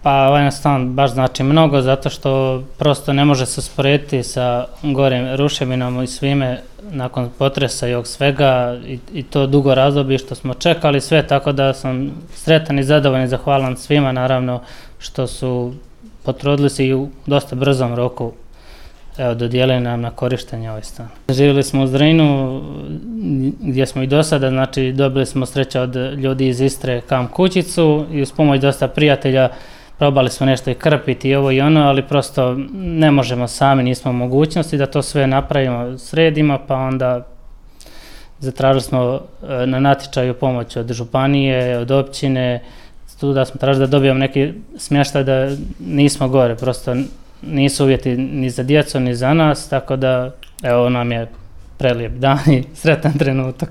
Pa ovaj stan baš znači mnogo zato što prosto ne može se usporediti sa gorim ruševinama i svime nakon potresa i ovog svega i to dugo razdoblje što smo čekali sve, tako da sam sretan i zadovoljan i zahvalan svima naravno što su potrudili se i u dosta brzom roku dodijelili nam na korištenje ovaj stan. Živjeli smo u Zrinu gdje smo i do sada, znači dobili smo sreće od ljudi iz Istre kamp kućicu i uz pomoć dosta prijatelja probali smo nešto i krpiti i ovo i ono, ali prosto ne možemo sami, nismo u mogućnosti da to sve napravimo, sredimo, pa onda zatražili smo na natječaju pomoć od županije, od općine, tu da smo tražili da dobijemo neki smještaj da nismo gore, prosto nisu uvjeti ni za djecu ni za nas, tako da evo nam je prelijep dan i sretan trenutak.